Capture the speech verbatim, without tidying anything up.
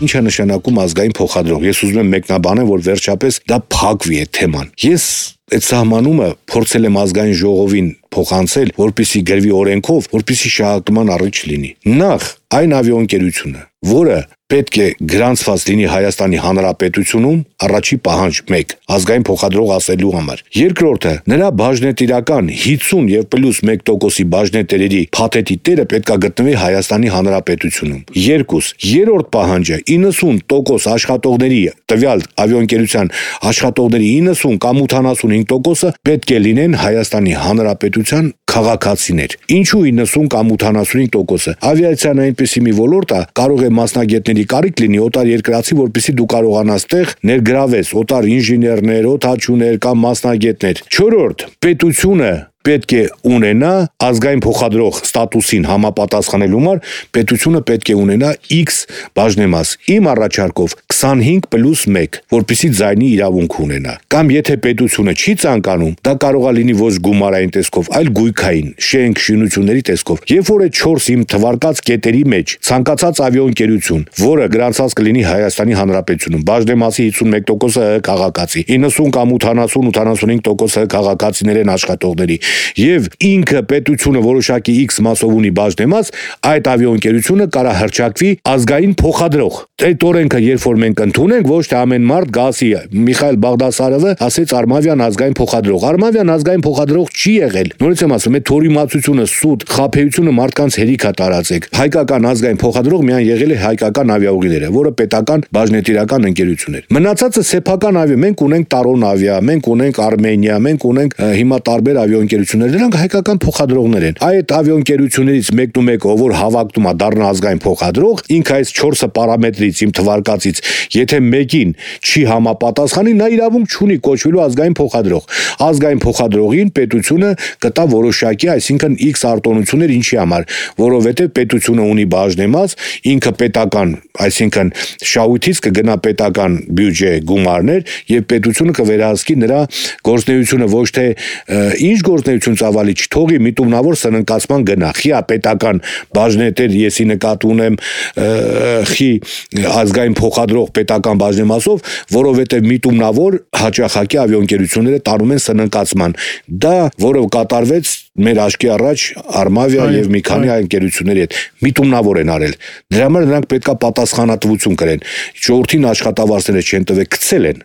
Ինչ է նշանակում ազգային փոխադրող։ Ես ուզում եմ մեկնաբանեմ, որ վերջապես դա փակվի այդ թեման։ Ես այդ սահմանումը փորձել եմ ազգային ժողովին փոխանցել, որպեսզի գրվի օրենքով, որպեսզի շահարկման առիթ չլինի։ Նախ այն ավիաընկերությունը, որը պետք է գրանցված լինի Հայաստանի Հանրապետությունում, առաջի պահանջ մեկ, ազգային փոխադրող ասելու համար։ Երկրորդը, նրա բաժնետիրական հիսուն եւ պլյուս մեկ տոկոսի բաժնետերերի փաթեթի տերը պետք է գտնվի Հայաստանի Հանրապետությունում։ Երկուս, երրորդ պահանջը իննսուն տոկոս աշխատողների, տվյալ ավիաընկերության աշխատողների իննսուն կամ ութանասունհինգ տոկոսը պետք է լինեն Հայաստանի Հանրապետության քաղաքացիներ։ Ինչու իննսուն կամ ութանասունհինգ տոկոսը։ Ավիացիան այնպեսի մի ոլորտ է, կարող է մասնագետների կարիք լինի օտար երկրացի, որպեսզի դու կարողանաս տեղ ներգրավես օտար ինժեներներ, օդաչուներ կամ մասնագետներ։ Չորրորդ, պետությունը պետք է ունենա ազգային փոխադրող ստատուսին համապատասխանելու համար, պետությունը պետք է ունենա X բաժնեմաս։ Իմ առաջարկով քսանհինգ պլյուս մեկ, որպեսզի ձայնի իրավունք ունենա։ Կամ եթե պետությունը չի ցանկանում, դա կարող է լինի ոչ գումարային տեսքով, այլ գույքային, շենք, շինությունների տեսքով։ Երբ որ այդ չորս իմ թվարկած կետերի մեջ ցանկացած ավիաընկերություն, որը գրանցած կլինի Հայաստանի Հանրապետությունում, բաժնեմասի հիսունմեկ տոկոսը քաղաքացի, իննսուն կամ ութանասուն ութանասունհինգ տոկոսը քաղաքացիներ են աշխատողների, եւ ինքը պետությունը որոշակի X մասով ունի բաժնեմաս, այդ ավիաընկերությունը կարա հրճակվի ազգային փոխադրող։ Այդ օրենքը երբ որ մենք ընդունենք, ոչ թե ամեն մարդ գասի Միխայել Բաղդասարովը ասեց Արմավյան ազգային փոխադրող։ Արմավյան ազգային փոխադրող չի եղել։ Նորից եմ ասում, այդ թորիմացությունը, սուտ, խաբեությունը մարդկանց հերիք է տարածեք։ Հայկական ազգային փոխադրող միայն եղել է Հայկական ավիաուղիները, որը պետական բաժնետիրական ընկերություն էր։ Մնացածը սեփական ավիա, մենք ունենք Տարոն ավիա, մենք ունենք Արմենիա, մենք ունենք հիմա տարբեր ավիաընկերություններ, դրանք հայկական փոխադրողներ են։ Այդ ավիաընկերություններից մեկն ու մեկը, որ հավակնում է դառնա ազգային փոխադրող, ինքը այս չորսը պարամետրից իմ թվարկածից, եթե մեկին չի համապատասխանի, նա իրավունք չունի կոչվելու ազգային փոխադրող։ Ազգային փոխադրողին պետությունը կտա որոշակի, այսինքն X արտոնություններ ինչի համար, որովհետև պետությունը ունի բաժնեմաս, ինքը պետական, այսինքն շահույթից կգնա պետական բյուջե գումարներ եւ պետությունը կվերահսկի նրա գործունեությունը ոչ թե ինչ գործունեություն ծավալի չթողի միտումնավոր սննկացման գնա։ Խի պետական բաժնետեր եսի նկատի ունեմ խի ազգային փոխադրող պետական բաժնեմասով, որովհետև միտումնավոր հաճախակի ավիաընկերությունները տանում են սննկացման։ Դա, որը կատարվեց մեր աչքի առաջ Արմավիա եւ մի քանի այլ ընկերությունների հետ միտումնավոր են արել։ Դրա համար նրանք պետքա պատասխանատվություն կրեն։ Ժողովրդին աշխատավարձերը չեն տվել, գցել են։